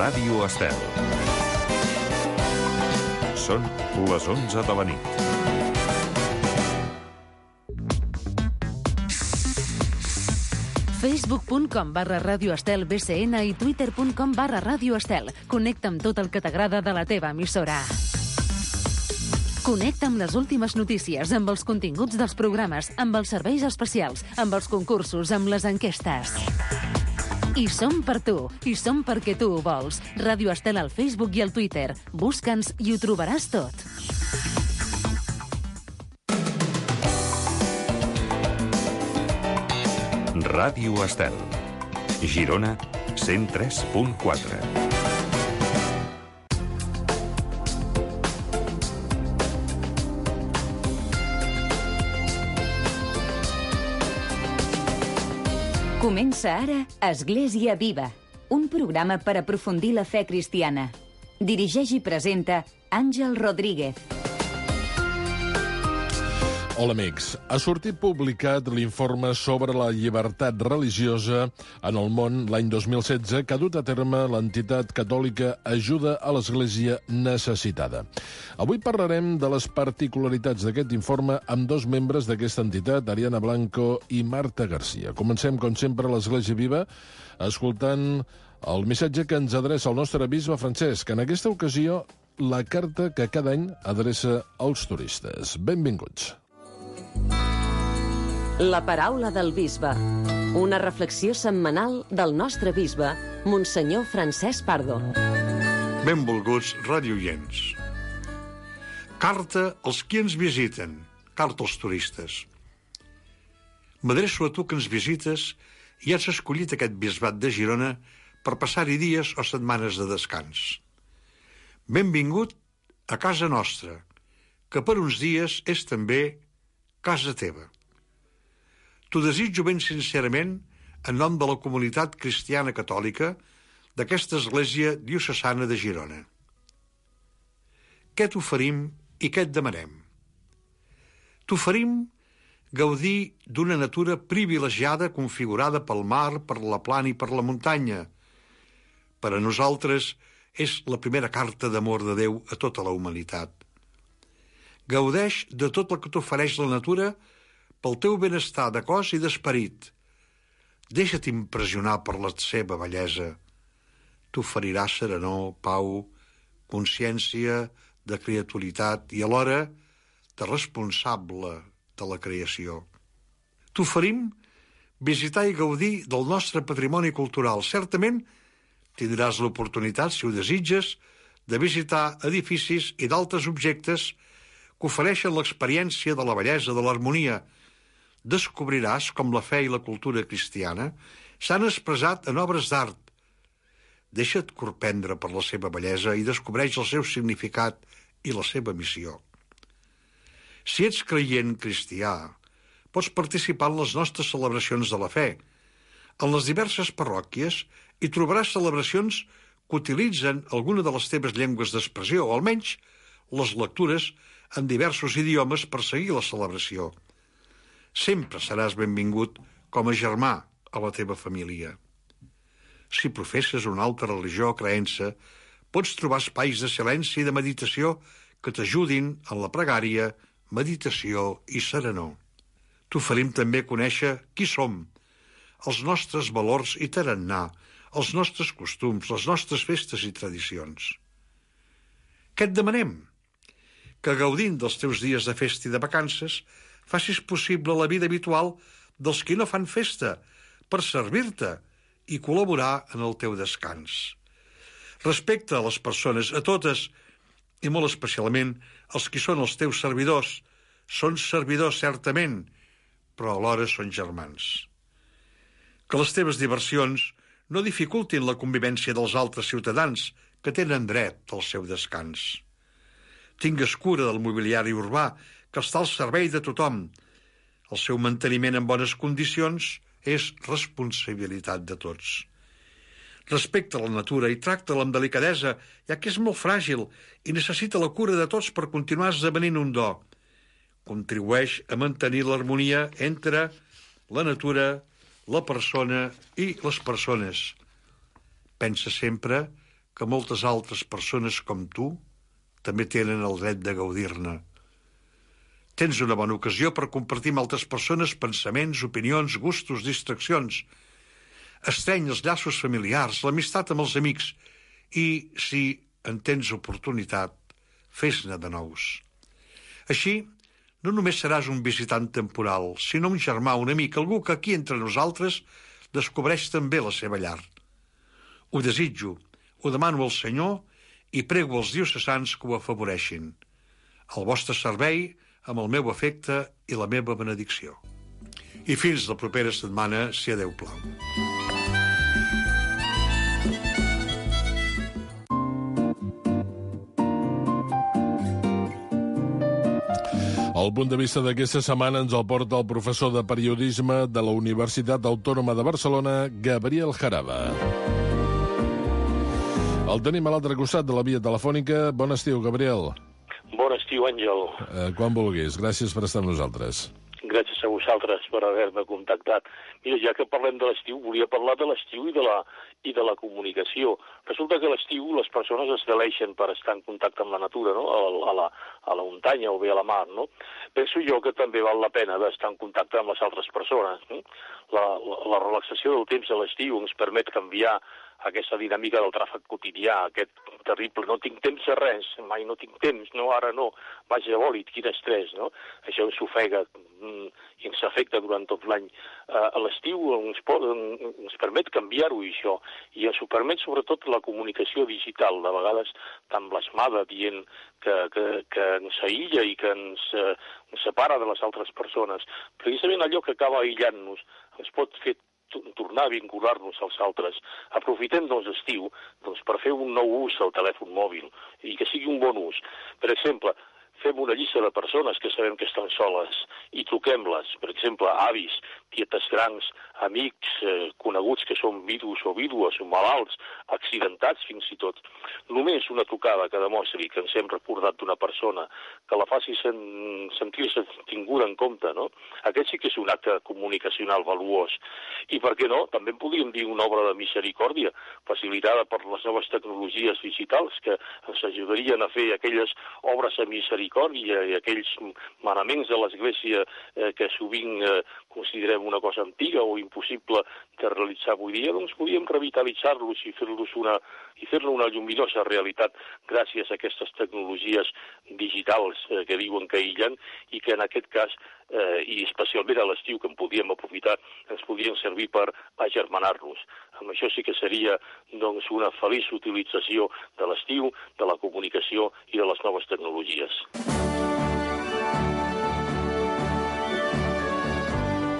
Ràdio Estel. Són les 11 de la nit. Facebook.com/Ràdio Estel BCN i Twitter.com/Ràdio Estel. Connecta amb tot el que t'agrada de la teva emissora. Connecta amb les últimes notícies, amb els continguts dels programes, amb els serveis especials, amb els concursos, amb les enquestes. I som per tu, i som perquè tu ho vols. Ràdio Estel al Facebook i al Twitter. Busca'ns i ho trobaràs tot. Ràdio Estel. Girona, 103.4. Comença ara Església Viva, un programa per aprofundir la fe cristiana. Dirigeix i presenta Àngel Rodríguez. Hola, amics. Ha sortit publicat l'informe sobre la llibertat religiosa en el món l'any 2016 que ha dut a terme l'entitat catòlica Ajuda a l'Església Necessitada. Avui parlarem de les particularitats d'aquest informe amb dos membres d'aquesta entitat, Ariana Blanco i Marta Garcia. Comencem, com sempre, a l'Església Viva, escoltant el missatge que ens adreça el nostre bisbe Francesc. En aquesta ocasió, la carta que cada any adreça als turistes. Benvinguts. La paraula del bisbe. Una reflexió setmanal del nostre bisbe, Monsenyor Francesc Pardo. Benvolguts radioients. Carta als qui ens visiten, carta als turistes. M'adreço a tu que ens visites i has escollit aquest bisbat de Girona per passar-hi dies o setmanes de descans. Benvingut a casa nostra, que per uns dies és també casa teva. T'ho desitjo ben sincerament en nom de la comunitat cristiana catòlica d'aquesta església diocesana de Girona. Què t'oferim i què et demanem? T'oferim gaudir d'una natura privilegiada configurada pel mar, per la plana i per la muntanya. Per a nosaltres és la primera carta d'amor de Déu a tota la humanitat. Gaudeix de tot el que t'ofereix la natura pel teu benestar de cos i d'esperit. Deixa't impressionar per la seva bellesa. T'oferirà serenor, pau, consciència de creaturitat i alhora de responsable de la creació. T'oferim visitar i gaudir del nostre patrimoni cultural. Certament tindràs l'oportunitat, si ho desitges, de visitar edificis i d'altres objectes que ofereixen l'experiència de la bellesa, de l'harmonia. Descobriràs com la fe i la cultura cristiana s'han expressat en obres d'art. Deixa't corprendre per la seva bellesa i descobreix el seu significat i la seva missió. Si ets creient cristià, pots participar en les nostres celebracions de la fe. En les diverses parròquies hi trobaràs celebracions que utilitzen alguna de les teves llengües d'expressió, o almenys les lectures en diversos idiomes per seguir la celebració. Sempre seràs benvingut com a germà a la teva família. Si professes una altra religió o creença, pots trobar espais de silenci i de meditació que t'ajudin en la pregària, meditació i serenor. T'oferim també conèixer qui som, els nostres valors i tarannà, els nostres costums, les nostres festes i tradicions. Què et demanem? Que gaudint dels teus dies de festa i de vacances facis possible la vida habitual dels qui no fan festa per servir-te i col·laborar en el teu descans. Respecta a les persones, a totes, i molt especialment els qui són els teus servidors. Són servidors, certament, però alhora són germans. Que les teves diversions no dificultin la convivència dels altres ciutadans que tenen dret al seu descans. Tingues cura del mobiliari urbà que està al servei de tothom. El seu manteniment en bones condicions és responsabilitat de tots. Respecta la natura i tracta-la amb delicadesa, ja que és molt fràgil i necessita la cura de tots per continuar esdevenint un do. Contribueix a mantenir l'harmonia entre la natura, la persona i les persones. Pensa sempre que moltes altres persones com tu també tenen el dret de gaudir-ne. Tens una bona ocasió per compartir amb altres persones pensaments, opinions, gustos, distraccions. Estreny els llaços familiars, l'amistat amb els amics i, si en tens oportunitat, fes-ne de nous. Així, no només seràs un visitant temporal, sinó un germà, un amic, algú que aquí entre nosaltres descobreix també la seva llar. Ho desitjo, ho demano al Senyor i prego als diocesans que ho afavoreixin. Al vostre servei, amb el meu afecte i la meva benedicció. I fins la propera setmana, si a Déu plau. El punt de vista d'aquesta setmana ens el porta el professor de periodisme de la Universitat Autònoma de Barcelona, Gabriel Jaraba. El tenim a l'altre costat de la via telefònica. Bon estiu, Gabriel. Bon estiu, Àngel. Quan vulguis. Gràcies per estar amb nosaltres. Gràcies a vosaltres per haver-me contactat. Mira, ja que parlem de l'estiu, volia parlar de l'estiu i de la comunicació. Resulta que a l'estiu les persones es deleixen per estar en contacte amb la natura, no? A la muntanya o bé a la mar, no? Penso jo que també val la pena d'estar en contacte amb les altres persones. La relaxació del temps a l'estiu ens permet canviar aquesta dinàmica del tràfic quotidià, aquest terrible, no tinc temps de res, mai no tinc temps, no, ara no, vaja, bòlit, quin estrès, no? Això ens ofega i ens afecta durant tot l'any. A l'estiu ens permet canviar-ho, això, i ens ho permet sobretot la comunicació digital, de vegades tan blasmada, dient que ens aïlla i que ens separa de les altres persones. Precisament allò que acaba aïllant-nos ens pot fer tornar a vincular-nos als altres. Aprofitem, doncs, l'estiu per fer un nou ús al telèfon mòbil i que sigui un bon ús. Per exemple, fem una llista de persones que sabem que estan soles i truquem-les. Per exemple, avis, tietes grans, amics, coneguts que són vidus o vídues, o malalts, accidentats fins i tot. Només una trucada que demostri que ens hem recordat d'una persona, que la faci sentir-se tinguda en compte, no? Aquest sí que és un acte comunicacional valuós. I per què no? També en podríem dir una obra de misericòrdia, facilitada per les noves tecnologies digitals que ens ajudarien a fer aquelles obres de misericòrdia i aquells manaments de l'Església que sovint considerem una cosa antiga o impossible de realitzar avui dia, doncs podíem revitalitzar-los i fer-ne una lluminosa realitat gràcies a aquestes tecnologies digitals que diuen que aïllen i que en aquest cas, i especialment a l'estiu que en podíem aprofitar, ens podien servir per agermanar-nos. Amb això sí que seria doncs, una feliç utilització de l'estiu, de la comunicació i de les noves tecnologies.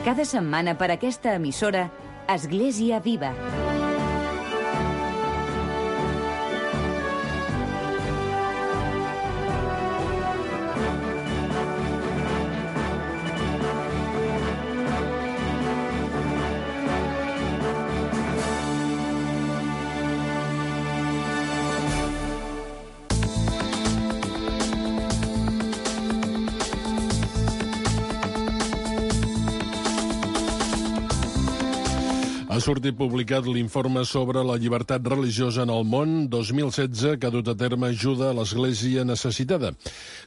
Cada setmana per aquesta emissora, Església Viva. Ha sortit publicat l'informe sobre la llibertat religiosa en el món 2016 que ha dut a terme ajuda a l'Església necessitada.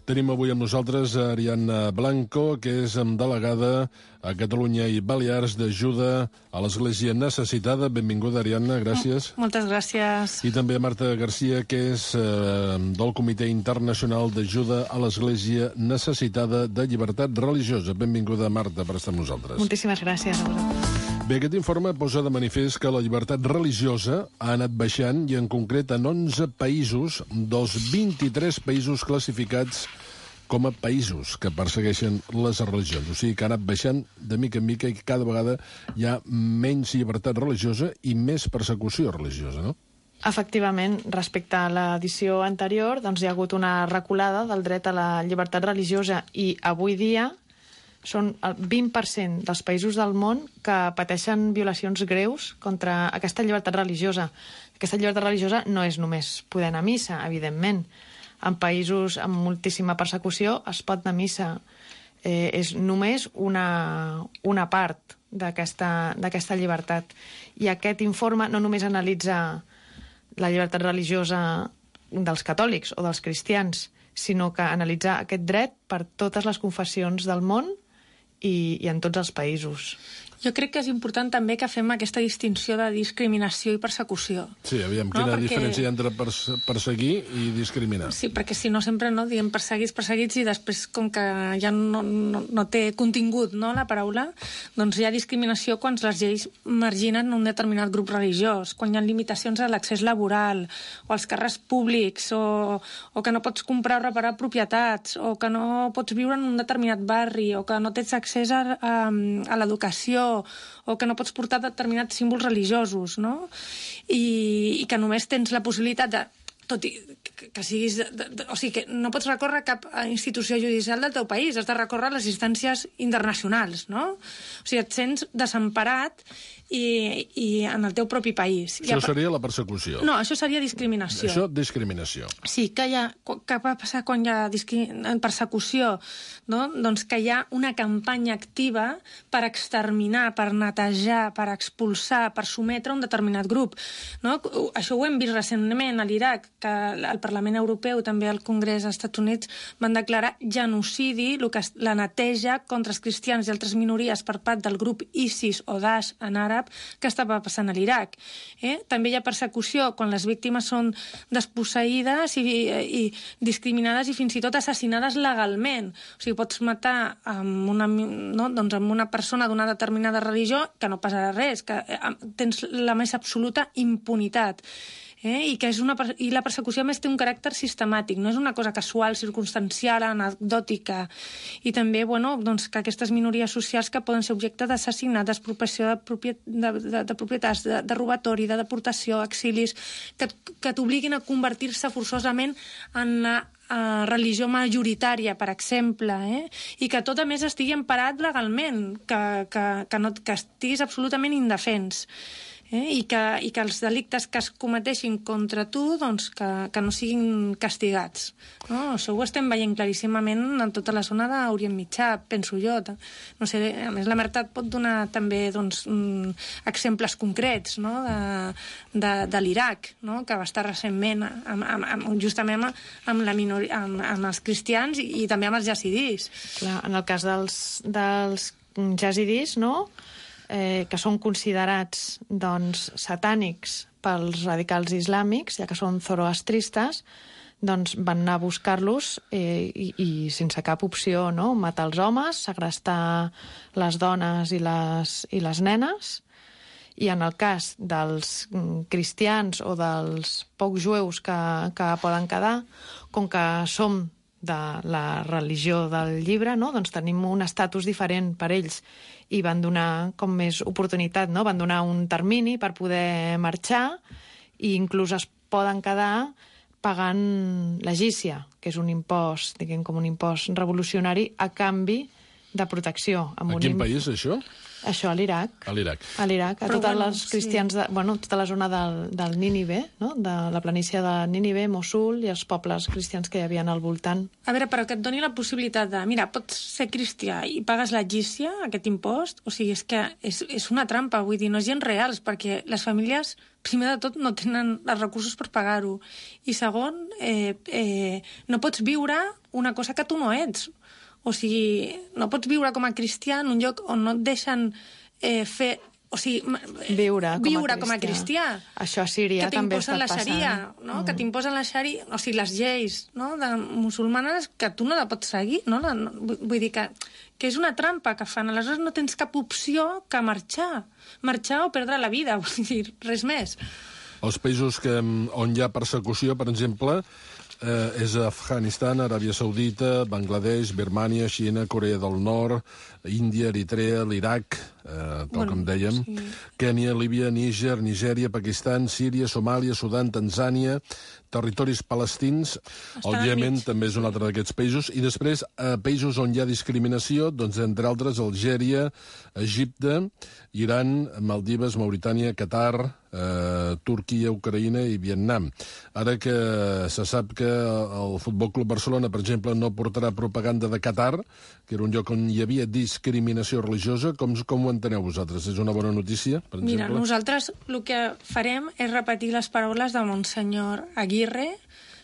Tenim avui amb nosaltres a Ariadna Blanco, que és delegada a Catalunya i Balears d'ajuda a l'Església necessitada. Benvinguda, Ariadna, gràcies. Moltes gràcies. I també a Marta Garcia, que és del Comitè Internacional d'Ajuda a l'Església Necessitada de Llibertat Religiosa. Benvinguda, Marta, per estar amb nosaltres. Moltíssimes gràcies a vosaltres. Bé, aquest informe posa de manifest que la llibertat religiosa ha anat baixant i en concret en 11 països dels 23 països classificats com a països que persegueixen les religions. O sigui que ha anat baixant de mica en mica i cada vegada hi ha menys llibertat religiosa i més persecució religiosa, no? Efectivament, respecte a l'edició anterior, doncs hi ha hagut una reculada del dret a la llibertat religiosa i avui dia són el 20% dels països del món que pateixen violacions greus contra aquesta llibertat religiosa. Aquesta llibertat religiosa no és només poder anar a missa, evidentment. En països amb moltíssima persecució es pot anar a missa. És només una part d'aquesta llibertat. I aquest informe no només analitza la llibertat religiosa dels catòlics o dels cristians, sinó que analitzar aquest dret per totes les confessions del món i en tots els països. Jo crec que és important també que fem aquesta distinció de discriminació i persecució. Sí, aviam, quina diferència hi ha entre perseguir i discriminar? Sí, perquè si no sempre diem perseguits i després, com que ja no té contingut, no, la paraula, doncs hi ha discriminació quan les lleis marginen un determinat grup religiós, quan hi ha limitacions a l'accés laboral o als càrrecs públics o que no pots comprar o reparar propietats o que no pots viure en un determinat barri o que no tens accés a l'educació o que no pots portar determinats símbols religiosos, no? I que només tens la possibilitat de, tot i que siguis... o sigui, que no pots recórrer a cap institució judicial del teu país, has de recórrer a les instàncies internacionals, no? O sigui, et sents desemparat i en el teu propi país. Això seria la persecució. No, això seria discriminació. Això, discriminació. Sí, què va passar quan hi ha persecució? No? Doncs que hi ha una campanya activa per exterminar, per netejar, per expulsar, per sometre un determinat grup. No? Això ho hem vist recentment a l'Iraq, que el Parlament Europeu, també el Congrés dels Estats Units, van declarar genocidi, la neteja contra els cristians i altres minories per part del grup ISIS o Daesh en àrab, que estava passant a l'Iraq. També hi ha persecució quan les víctimes són desposseïdes i discriminades i fins i tot assassinades legalment. O sigui, pots matar amb una persona d'una determinada religió que no passarà res, que tens la més absoluta impunitat. I la persecució, a més, té un caràcter sistemàtic, no és una cosa casual, circumstancial, anecdòtica. I també, que aquestes minories socials que poden ser objecte d'assassinat, d'expropiació de propietats, de robatori, de deportació, exilis, que t'obliguin a convertir-se forçosament en la religió majoritària, per exemple, i que tot, a més, estigui emparat legalment, que estiguis absolutament indefens. I que els delictes que es cometeixin contra tu doncs que no siguin castigats. No? Això ho estem veient claríssimament en tota la zona d'Orient Mitjà, penso jo. No sé, a més, la Mertat pot donar també exemples concrets, no? de l'Iraq, no? Que va estar recentment justament amb els cristians i també amb els yazidis. Clar, en el cas dels yazidis, no?, que són considerats satànics pels radicals islàmics, ja que són zoroastristes, doncs van anar a buscar-los i sense cap opció, no? Matar els homes, segrestar les dones i les nenes. I en el cas dels cristians o dels pocs jueus que poden quedar, com que som de la religió del llibre, no? Doncs tenim un estatus diferent per ells i van donar com més oportunitat, no? Van donar un termini per poder marxar i inclús es poden quedar pagant la gícia, que és un impost, diguem, com un impost revolucionari a canvi de protecció. A quin país, això? Això, a l'Iraq. A l'Iraq. A l'Iraq, a tots els cristians, tota la zona del Nínive, no? De la planícia de Nínive, Mossul i els pobles cristians que hi havia al voltant. A veure, però que et doni la possibilitat de... Mira, pots ser cristià i pagues la gícia, aquest impost, o sigui, és que és una trampa, vull dir, no és gens reals, perquè les famílies, primer de tot, no tenen els recursos per pagar-ho. I segon, no pots viure una cosa que tu no ets. O sigui, no pots viure com a cristià en un lloc on no et deixen fer... O sigui, viure com a cristià. Això a Síria també està passant. Que t'imposen la xaria, no? Que t'imposen la xaria, o sigui, les lleis, no? De musulmanes que tu no la pots seguir, no? Vull dir que és una trampa que fan. Aleshores no tens cap opció que marxar. Marxar o perdre la vida, vull dir, res més. Els països on hi ha persecució, per exemple, és Afganistan, Aràbia Saudita, Bangladesh, Birmània, Xina, Corea del Nord, Índia, Eritrea, l'Iraq, tal com dèiem, sí. Kènia, Líbia, Níger, Nigèria, Pakistan, Síria, Somàlia, Sudan, Tanzània, territoris palestins, el Iemen també és un altre d'aquests països, i després països on hi ha discriminació, doncs entre altres Algèria, Egipte, Iran, Maldives, Mauritània, Qatar, Turquia, Ucraïna i Vietnam. Ara que se sap que el Futbol Club Barcelona, per exemple, no portarà propaganda de Qatar, que era un lloc on hi havia discriminació religiosa, com ho enteneu vosaltres? És una bona notícia, per exemple? Mira, nosaltres el que farem és repetir les paraules de Monsenyor Aguirre,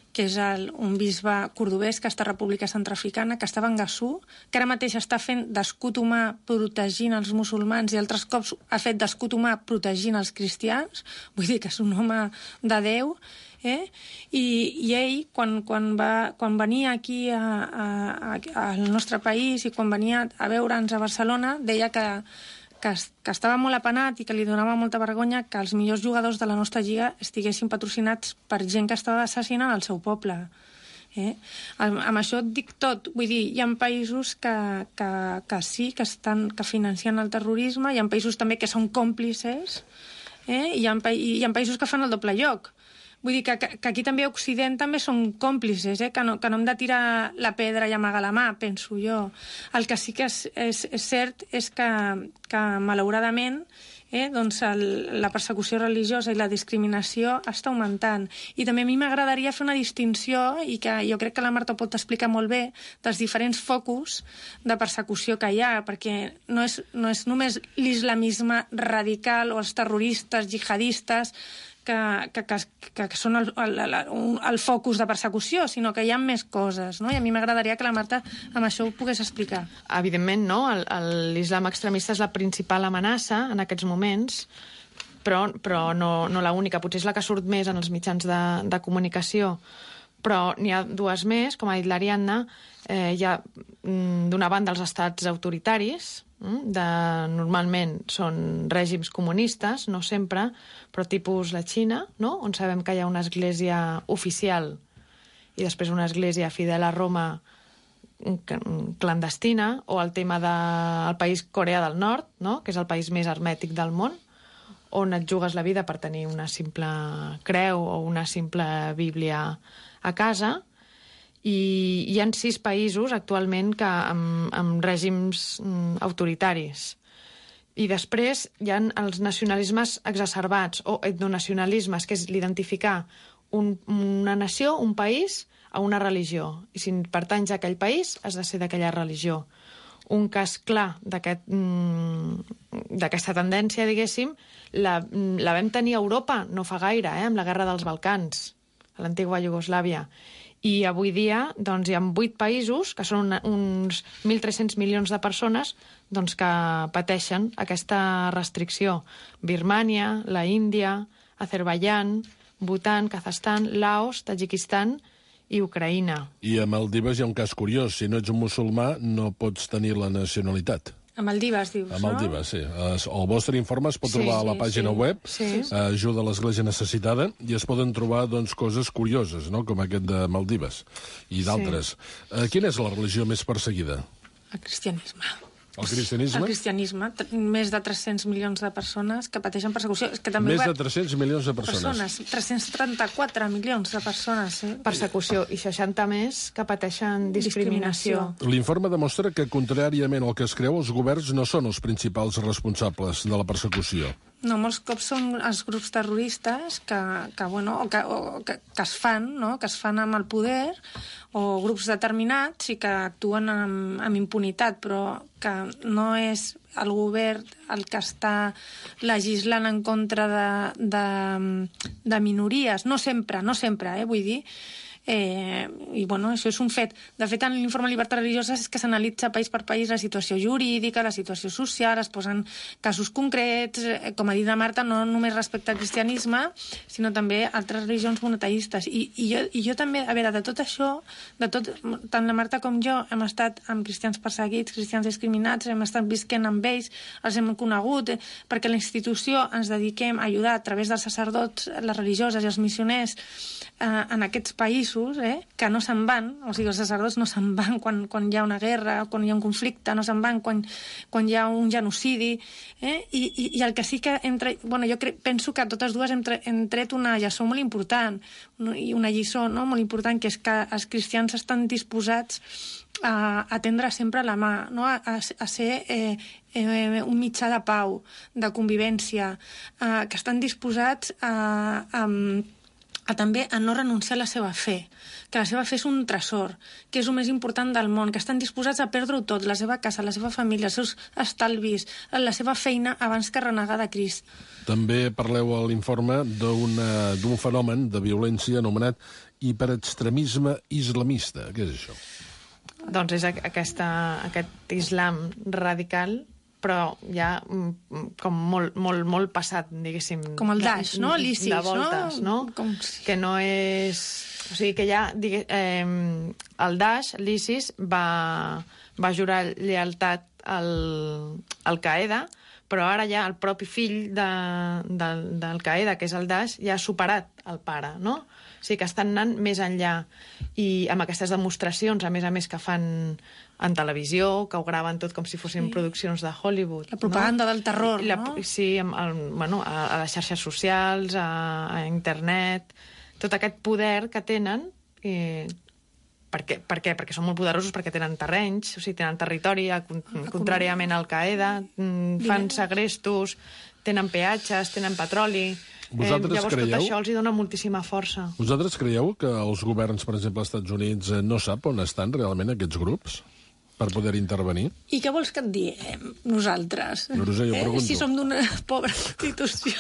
que és un bisbe cordobès que està a República Centroafricana, que estava en Gassú, que ara mateix està fent d'escut humà protegint els musulmans i altres cops ha fet d'escut humà protegint els cristians. Vull dir que és un home de Déu. I ell, quan venia aquí al nostre país i quan venia a veure'ns a Barcelona, deia que estava molt apenat i que li donava molta vergonya que els millors jugadors de la nostra lliga estiguessin patrocinats per gent que estava assassinant el seu poble. Amb això et dic tot. Vull dir, hi ha països que sí, que financen el terrorisme, hi ha països també que són còmplices, i hi ha països que fan el doble lloc. Vull dir que aquí també a Occident també són còmplices, que no hem de tirar la pedra i amagar la mà, penso jo. El que sí que és cert és que malauradament doncs la persecució religiosa i la discriminació està augmentant. I també a mi m'agradaria fer una distinció, i que jo crec que la Marta pot explicar molt bé, dels diferents focus de persecució que hi ha, perquè no és només l'islamisme radical o els terroristes jihadistes que són el focus de persecució, sinó que hi ha més coses, no? I a mi m'agradaria que la Marta amb això ho pogués explicar. Evidentment, no? L'islam extremista és la principal amenaça en aquests moments, però no la única. Potser és la que surt més en els mitjans de comunicació. Però n'hi ha dues més, com ha dit l'Ariadna. Hi ha, d'una banda, els estats autoritaris, normalment són règims comunistes, no sempre, però tipus la Xina, no? On sabem que hi ha una església oficial i després una església fidel a Roma clandestina, o el tema del país Corea del Nord, no? Que és el país més hermètic del món, on et jugues la vida per tenir una simple creu o una simple bíblia a casa. I hi ha 6 països actualment amb règims autoritaris. I després hi ha els nacionalismes exacerbats o etnonacionalismes, que és l'identificar una nació, un país, a una religió. I si pertanys a aquell país, has de ser d'aquella religió. Un cas clar d'aquesta tendència, diguéssim, la vam tenir a Europa no fa gaire, amb la guerra dels Balcans, a l'antiga Iugoslàvia. I avui dia doncs, hi ha 8 països, que són uns 1.300 milions de persones, doncs, que pateixen aquesta restricció. Birmània, la Índia, Azerbaiyán, Bhutan, Kazakhstan, Laos, Tadjikistan i Ucraïna. I a Maldives hi ha un cas curiós. Si no ets un musulmà, no pots tenir la nacionalitat. A Maldives, dius, no? A Maldives, sí. El vostre informe es pot trobar a la pàgina web, Ajuda a l'Església Necessitada, i es poden trobar coses curioses, no? Com aquest de Maldives i d'altres. Quina és la religió més perseguida? El cristianisme. El cristianisme? El cristianisme. Més de 300 milions de persones que pateixen persecució. És que també més de 300 milions de persones. 334 milions de persones. Persecució, i 60 més que pateixen discriminació. L'informe demostra que, contràriament al que es creu, els governs no són els principals responsables de la persecució. No, molts cops són els grups terroristes que es fan, no? Que es fan amb el poder, o grups determinats i que actuen amb impunitat, però que no és el govern el que està legislant en contra de minories. No sempre, vull dir. I bueno, això és un fet. De fet, en l'informe de llibertat religiosa és que s'analitza país per país la situació jurídica, la situació social, es posen casos concrets, com ha dit la Marta, no només respecte al cristianisme, sinó també altres religions monoteistes. I jo també, a veure, de tot això, tant la Marta com jo hem estat amb cristians perseguits, cristians discriminats, hem estat visquent amb ells, els hem conegut, perquè a la institució ens dediquem a ajudar a través dels sacerdots, les religioses i els missioners en aquests països, que no se'n van, o sigui, els sacerdots no se'n van quan hi ha una guerra, quan hi ha un conflicte, no se'n van quan hi ha un genocidi, i el que sí que penso que totes dues hem tret una lliçó molt important, i una lliçó molt important, que és que els cristians estan disposats a tendre sempre la mà, no? a ser un mitjà de pau, de convivència, que estan disposats a també a no renunciar a la seva fe, que la seva fe és un tresor, que és el més important del món, que estan disposats a perdre-ho tot, la seva casa, la seva família, els seus estalvis, la seva feina, abans que renegar de Crist. També parleu a l'informe d'un fenomen de violència anomenat hiperextremisme islamista. Què és això? Doncs és aquest islam radical, però ja com molt passat, diguéssim. Com el Daesh, no? L'ISIS, de voltes, no? Que no és... O sigui, que ja... el Daesh, l'ISIS, va jurar lleialtat al Qaeda, però ara ja el propi fill del Qaeda, que és el Daesh, ja ha superat el pare, no? O sigui, que estan anant més enllà. I amb aquestes demostracions, a més que fan en televisió, que ho graven tot com si fossin produccions de Hollywood. La propaganda del terror, no? Sí, a les xarxes socials, a internet, tot aquest poder que tenen. Per què? Perquè són molt poderosos, perquè tenen terrenys, o sigui, tenen territori, contràriament al Qaeda, fan segrestos, tenen peatges, tenen petroli. Llavors tot això els hi dona moltíssima força. Vosaltres creieu que els governs, per exemple, als Estats Units, no sap on estan realment aquests grups per poder intervenir? I què vols que et diem nosaltres? No sé, jo pregunto. Si som d'una pobra institució.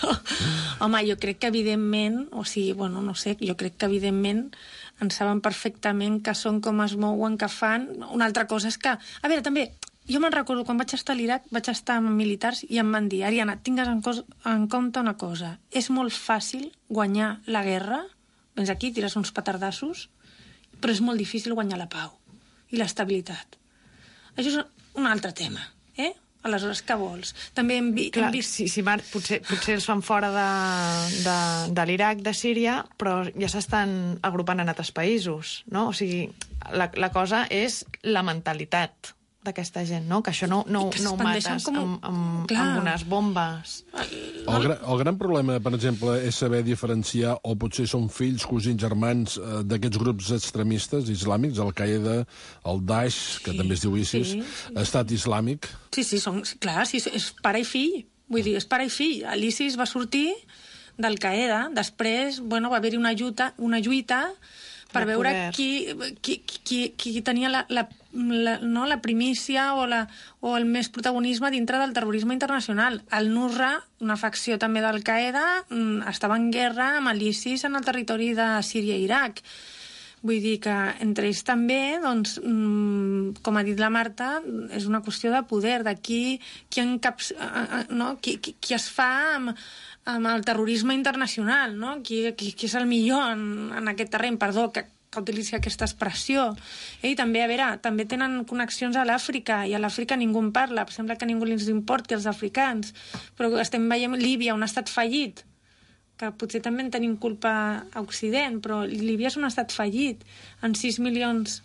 Home, jo crec que evidentment, no sé, jo crec que evidentment en saben perfectament que són com es mouen, que fan. Una altra cosa és que... A veure, també, jo me'n recordo, quan vaig estar a l'Iraq, vaig estar amb militars i em van dir, Ariana, tingues en compte una cosa, és molt fàcil guanyar la guerra, vens aquí, tires uns petardassos, però és molt difícil guanyar la pau i l'estabilitat. Això és un altre tema, Aleshores, què vols? També hem vist... Sí, Marc, potser els fan fora de l'Iraq, de Síria, però ja s'estan agrupant en altres països, no? O sigui, la cosa és la mentalitat d'aquesta gent, no? Que això no ho mates amb unes bombes. El gran problema, per exemple, és saber diferenciar, o potser són fills, cosins, germans, d'aquests grups extremistes islàmics, el Qaeda, el Daesh, que també es diu ISIS, Estat Islàmic. Sí, és pare i fill. Vull dir, és pare i fill. L'ISIS va sortir del Qaeda, després, va haver-hi una lluita per veure qui tenia la primícia o el més protagonisme dintre del terrorisme internacional. El Nusra, una facció també del Qaeda, estava en guerra amb l'ISIS en el territori de Síria i Iraq. Vull dir que entre ells també, doncs, com ha dit la Marta, és una qüestió de poder, de qui es fa amb el terrorisme internacional, no? Qui és el millor en aquest terreny, perdó, que utilitzi aquesta expressió. I també, a veure, també tenen connexions a l'Àfrica, i a l'Àfrica ningú en parla, sembla que ningú els importi als africans, però estem veient Líbia, un estat fallit, que potser també en tenim culpa a Occident, però Líbia és un estat fallit, en 6 milions...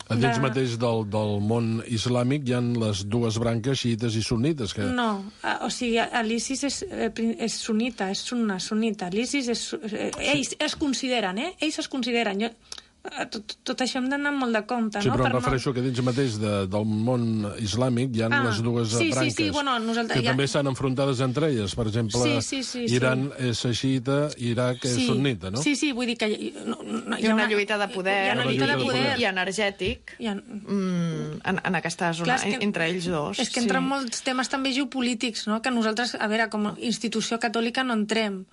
Dins mateix del món islàmic hi ha les dues branques, xiites i sunnites. Que... No, o sigui, l'ISIS és sunnita, és sunnita. L'ISIS és... Ells es consideren, Ells es consideren. Tot això hem d'anar molt de compte, sí, no? Però em refereixo que dins mateix del món islàmic hi ha les dues branques, que també estan enfrontades entre elles. Per exemple, Iran és xiita, Iraq és sunnita, no? Sí, vull dir que... Hi ha una lluita de poder, i energètic en aquesta zona, entre ells dos. És que entren molts temes també geopolítics, no? Que nosaltres, a veure, com a institució catòlica no entrem,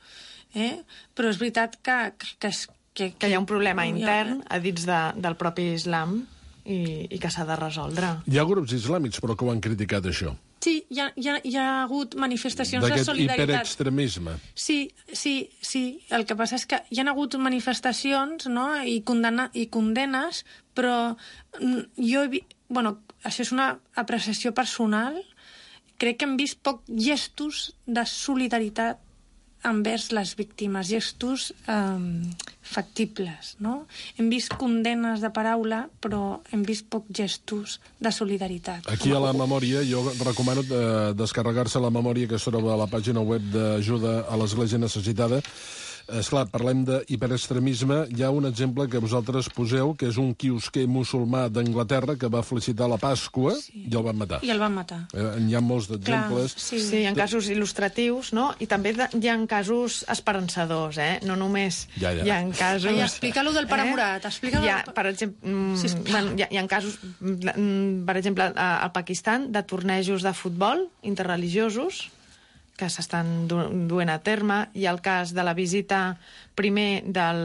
però és veritat que hi ha un problema intern a dins del propi islam i que s'ha de resoldre. Hi ha grups islàmics, però que ho han criticat, això. Sí, hi ha hagut manifestacions de solidaritat. D'aquest hiperextremisme. Sí. El que passa és que hi ha hagut manifestacions, no?, i condenes, però això és una apreciació personal. Crec que hem vist poc gestos de solidaritat envers les víctimes, gestos factibles, no? Hem vist condenes de paraula, però hem vist poc gestos de solidaritat. Aquí a la memòria, jo recomano descarregar-se la memòria que es troba a la pàgina web d'ajuda a l'Església Necessitada, Esclar, parlem d'hiperextremisme. Hi ha un exemple que vosaltres poseu, que és un quiosquer musulmà d'Anglaterra que va felicitar la Pasqua i el van matar. I el van matar. Hi ha molts d'exemples. Sí, hi ha casos il·lustratius, no? I també hi ha casos esperançadors, no només hi ha casos... Explica-lo del pare Murat. Per exemple, hi ha casos, per exemple, al Pakistan, de tornejos de futbol interreligiosos que s'estan duent a terme. Hi ha el cas de la visita primer del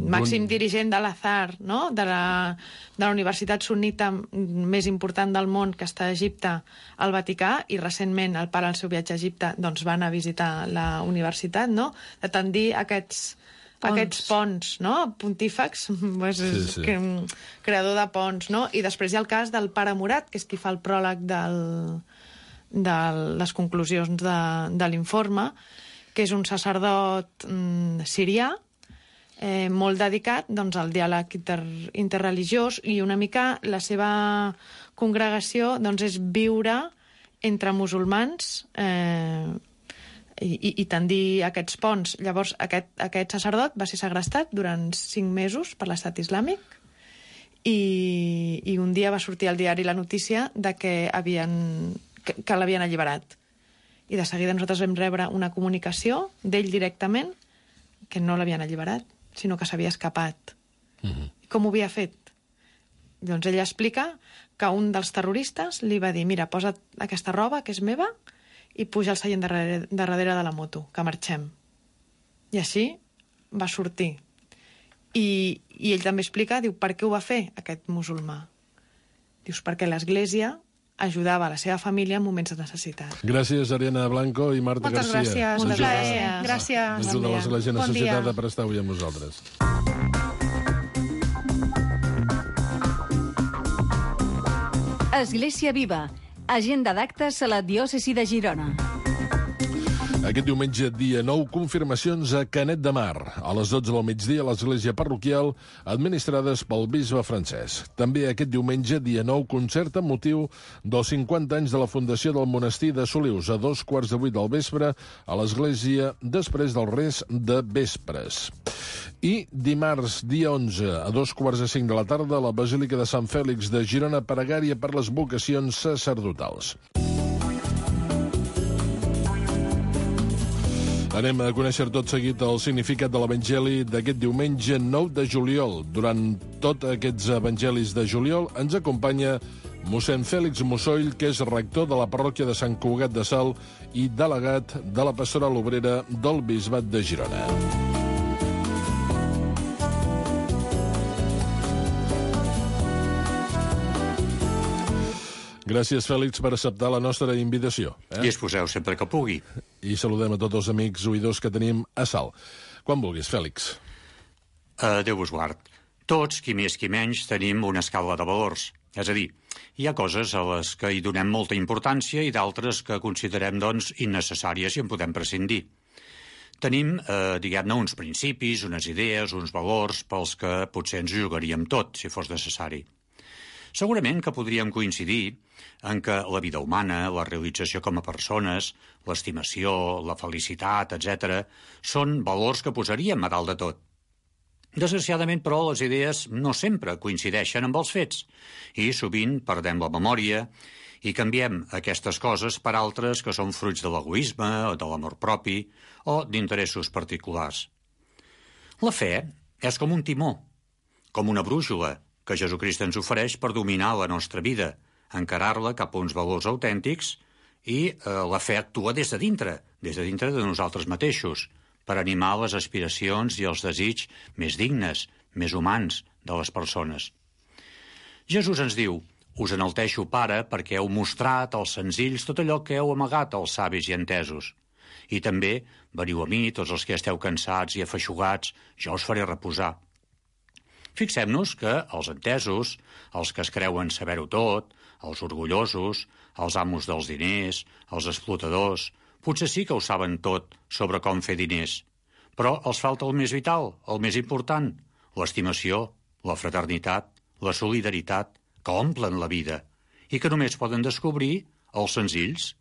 màxim dirigent de l'Azhar, no? de la universitat sunnita més important del món, que està a Egipte, al Vaticà, i recentment el pare al seu viatge a Egipte doncs, va anar a visitar la universitat, no? De tendir aquests ponts, no? Pontífex, creador de ponts, no? I després hi ha el cas del pare Murat, que és qui fa el pròleg de les conclusions de l'informe, que és un sacerdot sirià, molt dedicat doncs, al diàleg interreligiós, i una mica la seva congregació doncs, és viure entre musulmans i tendir aquests ponts. Llavors, aquest sacerdot va ser segrestat durant 5 mesos per l'estat islàmic i un dia va sortir al diari la notícia de que l'havien alliberat. I de seguida nosaltres vam rebre una comunicació d'ell directament que no l'havien alliberat, sinó que s'havia escapat. Com ho havia fet? Doncs ell explica que un dels terroristes li va dir: mira, posa't aquesta roba, que és meva, i puja al seient darrere de la moto, que marxem. I així va sortir. I ell també explica, diu, per què ho va fer aquest musulmà? Dius, perquè l'Església ajudava a la seva família en moments de necessitat. Gràcies, Ariana Blanco i Marta Garcia. Moltes gràcies. Gràcies. Ajuda a l'Església necessitada per estar avui amb nosaltres. Església Viva. Agenda d'actes a la diòcesi de Girona. Aquest diumenge, dia 9, confirmacions a Canet de Mar. A les 12 del migdia, a l'església parroquial, administrades pel bisbe francès. També aquest diumenge, dia 9, concert amb motiu dels 50 anys de la fundació del monestir de Solius, a 2:15 del vespre, a l'església, després del res de vespres. I dimarts, dia 11, a 2:45 de la tarda, a la Basílica de Sant Fèlix de Girona, pregària per les vocacions sacerdotals. Anem a conèixer tot seguit el significat de l'Evangeli d'aquest diumenge 9 de juliol. Durant tots aquests evangelis de juliol ens acompanya mossèn Fèlix Mussoll, que és rector de la parròquia de Sant Cugat de Salt i delegat de la pastoral obrera del Bisbat de Girona. Gràcies, Fèlix, per acceptar la nostra invitació. I exposeu sempre que pugui. I saludem a tots els amics oïdors que tenim a Salt. Quan vulguis, Fèlix. Déu vos guard. Tots, qui més qui menys, tenim una escala de valors. És a dir, hi ha coses a les que hi donem molta importància i d'altres que considerem, doncs, innecessàries i en podem prescindir. Tenim, diguem-ne, uns principis, unes idees, uns valors pels que potser ens jugaríem tot, si fos necessari. Segurament que podríem coincidir en que la vida humana, la realització com a persones, l'estimació, la felicitat, etc., són valors que posaríem a dalt de tot. Desgraciadament, però, les idees no sempre coincideixen amb els fets i sovint perdem la memòria i canviem aquestes coses per altres que són fruits de l'egoisme o de l'amor propi o d'interessos particulars. La fe és com un timó, com una brúixola que Jesucrist ens ofereix per dominar la nostra vida, encarar-la cap a uns valors autèntics i la fe actua des de dintre de nosaltres mateixos, per animar les aspiracions i els desigs més dignes, més humans de les persones. Jesús ens diu: us enalteixo, Pare, perquè heu mostrat als senzills tot allò que heu amagat als savis i entesos. I també veniu a mi, tots els que esteu cansats i afeixugats, jo us faré reposar. Fixem-nos que els entesos, els que es creuen saber-ho tot, els orgullosos, els amos dels diners, els explotadors, potser sí que ho saben tot sobre com fer diners, però els falta el més vital, el més important, l'estimació, la fraternitat, la solidaritat, que omplen la vida i que només poden descobrir els senzills.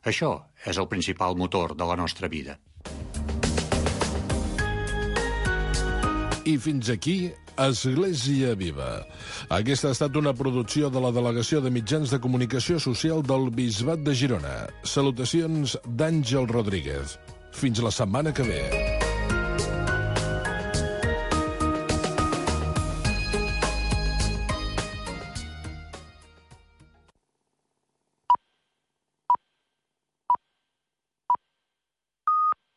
Això és el principal motor de la nostra vida. I fins aquí, Església Viva. Aquesta ha estat una producció de la Delegació de Mitjans de Comunicació Social del Bisbat de Girona. Salutacions d'Àngel Rodríguez. Fins la setmana que ve.